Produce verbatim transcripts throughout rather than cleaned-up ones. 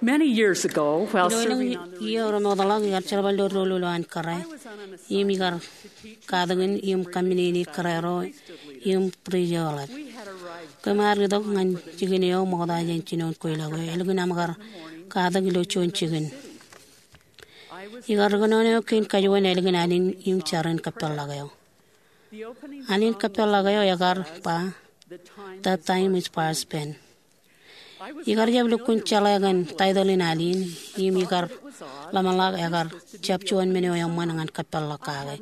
Many years ago, while Ilo elōñ serving on the iiō remootḷọk ikar jerbal ilo doulul eo an kōrā, im ikar katakin im kōmmeneini kōrā ro im bwij eo eḷap. Kōm ar itok ñan jikin eo ṃokta jān jinoin kweilọk eo, ālikin aṃ kar katak ilo juon jikin. Ikar rikōnono kein kajuon ālikin alin im jar in kōpeḷḷọk eo. Alin kōpeḷḷọk eo ekar ba, "The time is past," pen. Ikar jab lukkuun jeḷā kōn taitōḷ in alin, im ikar ḷōmṇak ekar jab juon men eo eṃṃan ñan kōpeḷḷọk kake.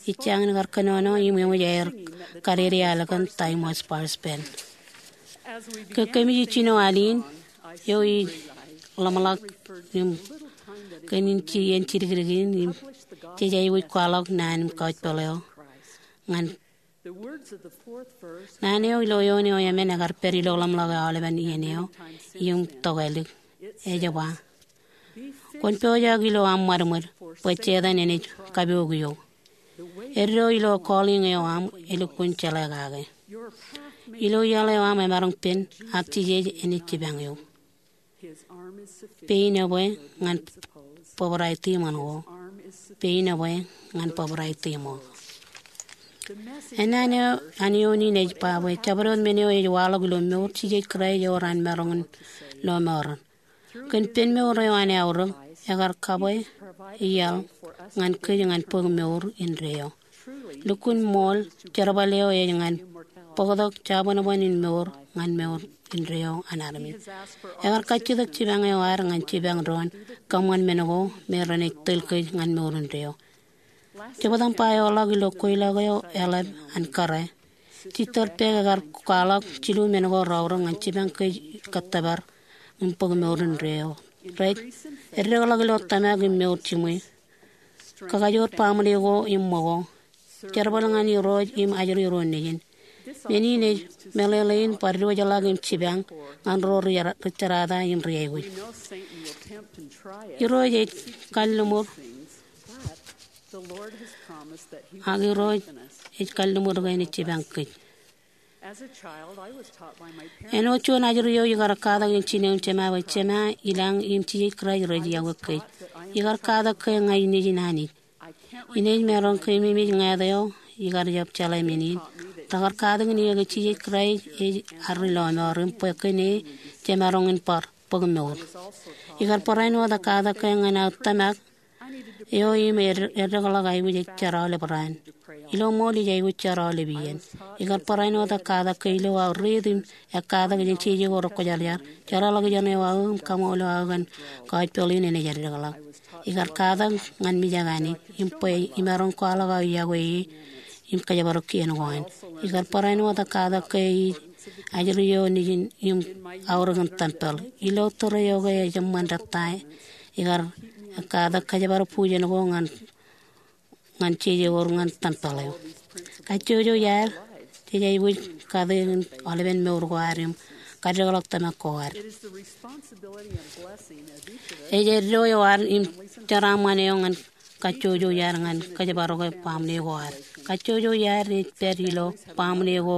Ij jañin kar kōnono im eṃōj aer kadede ālikin "Time was past," pen. Ke kōmij jino alin eo, ij ḷōmṇak im kōn in jidikdik in, im jej aikuj kwaḷọk naan im kaujpeḷ eo ñan Naan eo ilo eoon eo emān ekar pād ilo ḷōmṇak eo aolepen iien eo im tokālik. Ej ba, "Kwōn pojak ilo aṃ ṃadṃōd, bwe Setan enaaj kapook eok. Eddo ilo calling eo aṃ elukkuun jeḷā kake. Ilo iaḷ eo aṃ emaroñ pen, ak Jisōs enaaj jipañ eok. Pein ebwe ñan bōbrae tiṃoṇ ko. Pein ebwe ñan bōbrae tiṃoṇ." Ennaan eo an eoon in ej ba bwe jabdewōt men eo ej waḷọk ilo mour Jisōs Kraist ewōr an maroñ in lọmọọren. Kōn pen mour eo an aorōk, ekar kabwe iaḷ ñan kōj ñan bōk mour indeeo. Lukkuun ṃool, jerbal eo ej ñan bōktok jabōnbōn in mour ñan mour indeeo an armej. Ekar kajjitōk jipañ eo ad ñan jipañ doon kōṃṃan men ko me renaaj tōl kōj ñan mour indeeo. Jebta im ba eoḷọk ilo kweilọk eo eḷap an kōrā, Sister Beck ekar kwaḷọk jilu men ko reaorōk ñan jipañ kōj kōttōpar im bōk mour indeeo. Rej eddekḷọk ilo tōmak im mour jiṃwe, kakajoor baaṃle ko im ṃōko, jerbal ñan Irooj im ajri ro nejin. Men in ej meḷeḷein bar diwōjḷọk im jipañ ñan ro ri jerata im ri aikuj. Irooj ej kalliṃur, ak Irooj ej kalliṃur ke enaaj jipañ kōj. Āinwōt juon ajri eo, ikar katak in jino im jema bwe jema ilañ im Jisōs Kraist rej iọkwe kōj. Ikar katak ke ña inejin Anij. Inaaj maroñ keememej ñāāt eo ikar jab jeḷā men in. Rekar katakin eō ke Jisōs Kraist ej ad ri lọmọọr im bwe kōn e jemaroñ in bar bōk mour. Ikar barāinwōt katak ke ñan aō tōmak eo im ed-, eddekḷọk aikuj ej jar aolep raan. Ilo ṃool ij aikuj jar aolep iien. Ikar barāinwōt katak ke ilo aō riit im ekkatak jān jeje ko rekwōjarjar, jeḷāḷọkjeṇ eo aō im kaṃool eo aō kōn kaujpeḷ in enaaj eddekḷọk. Ikar katak ñan mijak Anij im bwe imaroñ kwaḷọk aō iọkwe e im kōjparok kien ko an. Ikar barāinwōt katak ke ij ajri eo nejin im aorōk in tempel. Ilo tōre eo ke ej eṃṃan rej ta, ikar katak kōjparok bujen ko ñan, ñan jeje ko ñan tempel eo. Kajjojo iaad, jej aikuj kate in aolepen mour ko ad im kaddekḷọk tōmak ko ad. Ej eddo eo ad im jeraaṃṃan eo ñan kajjojo iaad ñan kōjparoke baaṃle ko ad. Kajjojo iaad ej pād ilo baaṃle ko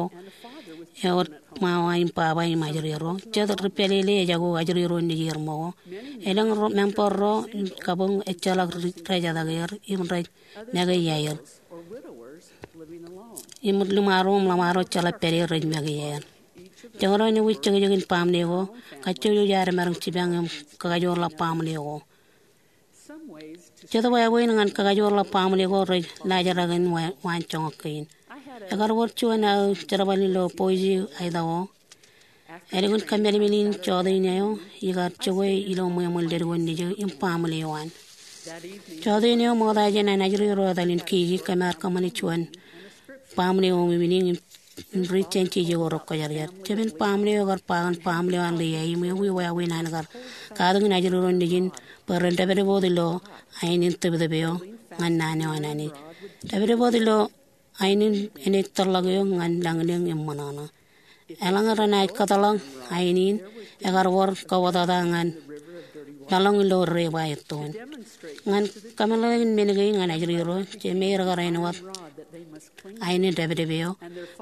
ewōr ṃawa im baba im ajri ro. Jet ri pālele ejako ajri ro nejier ṃōko. Elōñ ro, member ro im kabuñ ejjeḷọk ri-, rejatōk er im rej make iaer. Im ḷōṃaro im ḷōṃaro jeḷā pād er rej make iaer. Jekdọọn ewōr jekjekin baaṃle ko, kajjojo iaad emaroñ jipañ im kakajoorḷọk baaṃle ko. Jet wāween ñan kakajoorḷọk baaṃle ko rej laajrak in wa-, waanjoñak kein. Ekar wōr juon aō jerbal ilo Boise, Idaho. Ālikin kōmālmel in jọteen eo, ikar jokwe ilo ṃweo ṃōn leddik ko nejū im baaṃle eo an. Jọteen eo ṃokta jān an ajri ro etal in kiki, kōm ar kōṃṃane juon baaṃle eo ṃweo im im riit jān jeje ko rekwōjarjar. Jemān baaṃle eo ekar ba kōn baaṃle eo an Lehi im ewi wāween an kar katakin ajri ro nejin bwe ren dāpdep wōt ilo ain in tōptōp eo ñan naan eo an Anij. Dāpdep wōt ilo ain in enaaj tōrḷọk eok ñan lañlōñ im ṃōṇōṇō. Eḷaññe renaaj kōtḷọk ain in, ekar wōr kōwōtata ñan laḷoñ ilo debwāāj ettoon. Ñan kōmeḷeḷein men kein ñan ajri ro, jemāer ekar āinwōt ain in dāpdep eo,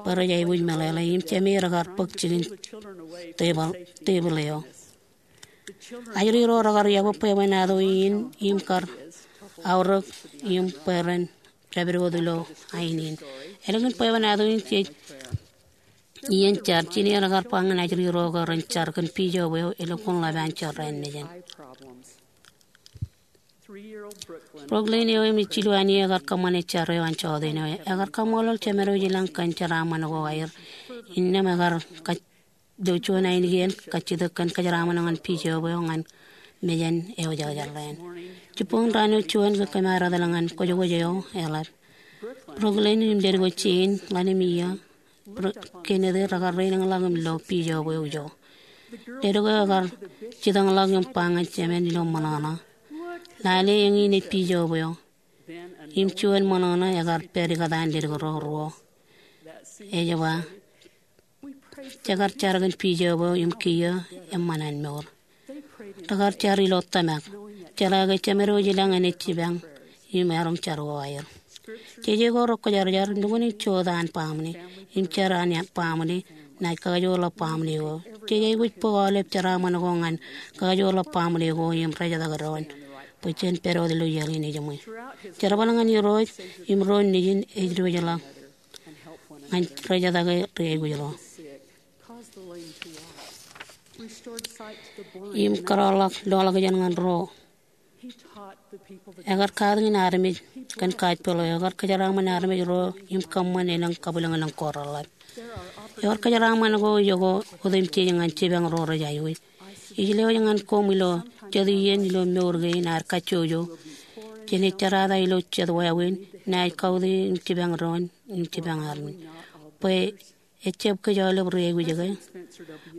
bwe rej aikuj meḷeḷe, im jemāer ekar bōk jikin tebōḷ, tebōḷ eo. Ajri ro rekar yokwe bwebwenato in im kar aorōk im bwe ren dāpdewōt ilo ain in. Ālikin bwebwenato in jej iien jar, jined ekar ba ñan ajri ro ke ren jar kōn pijo eo elukkuun ḷap an jorrāān mejān. Brooklyn eo im ej jilu annier ekar kōṃṃane jar eo an jota eo. Ekar kaṃṃoolol Jemedwōj ilañ kōn jeraaṃṃan ko aer. Innām ekar kajjojo juon ainikien kajjitōk kōn kōjeraaṃṃan ñan pijo eo ñan mejān eo ejjeḷọk. Jibboñ raan eo juon kōmaaretak ñan kwōjkwōj eo eḷap. Brooklyn im ledik eo Jean, ḷalem iiō, Kenneth rekar reilōñḷọk im lo pijo eo ijo. Ledik eo ekar jitōñḷọk im ba ñan jemān ilo ṃōṇōṇō, "Lale, eñin ej pijo eo." Im juon ṃōṇōṇō ekar pād ikōtaan ledik ro ruo. Ej ba, "Jekar jar kōn pijo eo im kiiō eṃṃan an mour." Rekar jar ilo tōmak, jeḷā ke Jemedwōj ilañ enaaj jipañ im erom jar ko aer. Jeje ko rekwōjarjar, nukun in jota an baaṃle im jar an baaṃle naaj kakajoorḷọk baaṃle ko. Jej aikuj bōk aolep jeraaṃṃan ko ñan kakajoorḷọk baaṃle ko im rejetake doon bwe jen pād wōt ilo iaḷ in ejiṃwe. Jerbal ñan Irooj im ro nejin ej diwōjḷọk ñan rejetake ri aikuj ro im kōrọọlḷọk loḷọkjeṇ ñan ro. Ekar katakin armej kōn gospel eo. Ekar kōjeraaṃṃan armej ro im kōṃṃan elōñ kabwilōñlōñ ko reḷḷap. Ewōr kōjeraaṃṃan ko ijo ko otemjej ñan jipañ ro rej aikuj. Ij lewōj ñan koṃ ilo jet iien ilo mour kein ad kajjojo, jenaaj jerata ilo jet wāween, naaj kautiej im jipañ doon im jipañ armej. Bwe ejjab kōj aolep ri aikuj ke?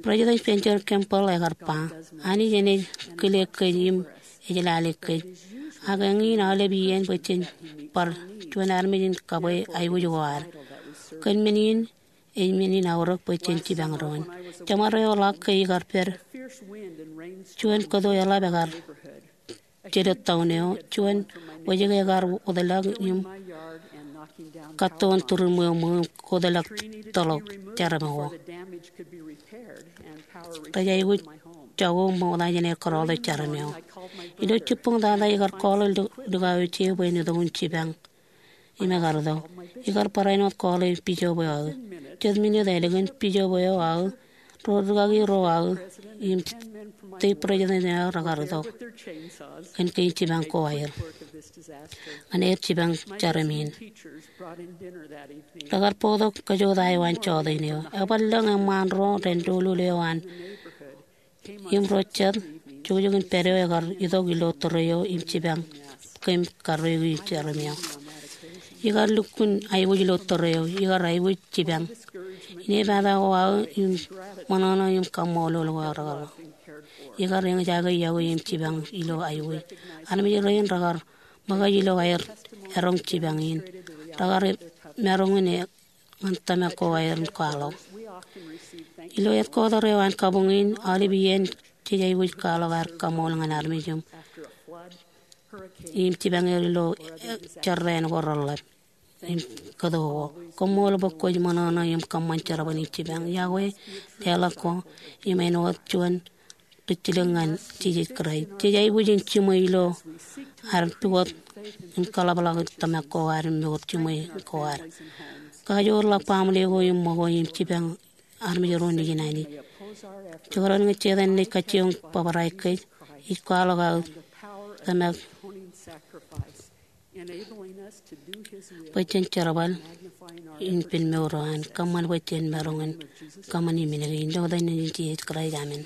President Spencer W. Kimball ekar ba, Anij enaaj kile kōj im ej lale kōj. Ak eñin aolep iien bwe jen bar juon armej in kabwe aikuj ko ad. Kōn men in, ej men in aorōk bwe jen jipañ doon. Jeṃaroñ eo ḷọk ke ikar pād, juon kōto eḷap ekar jelōt town eo, juon wōjke ekar wōtlọk im kattoon turuṃ eo ṃōk im kōtḷọk tōḷọk jeram ko. Rej aikuj jako ṃokta jān aer kōrọọltok jeram eo. Ilo jibboñ tata ikar call e likao eo je bwe en itok in jipañ im ekar itok. Ikar barāinwōt call e pijo eo aō. Jet minit ālikin pijo eo aō, ro rūkaki ro aō im stake president eo aō rekar itok kōn kein jipañ ko aer ñan aer jipañ jeram in. Rekar bōktok kōjota eo an jota eo. Ebar lōñ eṃṃaan ro ren doulul eo an im ro jet jukjukin pād eo ekar itok ilo tōre eo im jipañ kōm karreoiki jeram eo. Ikar lukkuun aikuj ilo tōre eo, ikar aikuj jipañ. Inepata ko aō im ṃōṇōṇō im kaṃṃoolol ko aō rekar ḷọk. Ikar eñjake iọkwe im jipañ ilo aikuj. Armej rein rekar ṃōkaj ilo aer eroñ jipañ in. Rekar maroñ in ñan tōmak ko aer in kwaḷọk. Ilo headquarter eo an kabuñ in, aolep iien jej aikuj kwaḷọk ad kaṃṃool ñan armej im, im jipañ er ilo, eh, jorrāān ko reḷḷap im kōto ko. Koṃṃool bwe kwōj ṃōṇōṇō im kōṃṃan jerbal in jipañ. Iọkwe, leḷọk ko, im āinwōt juon ri jilōk ñan Jisōs Kraist. Jej aikuj in jiṃwe ilo ad pukot im kaḷapḷọk tōmak ko ad im mour jiṃwe ko ad. Kajoorḷọk baaṃle ko im ṃōko im jipañ armej ro nejin Anij. Jekdọọn ñe Setan enaaj kajjioñ bōbrae kōj, ij kwaḷọk aō tōmak bwe jen jerbal in pen mour eo an, kōṃṃan bwe jen maroñ in kōṃṃan im men kein. Ilo etan in Jisōs Kraist, amen.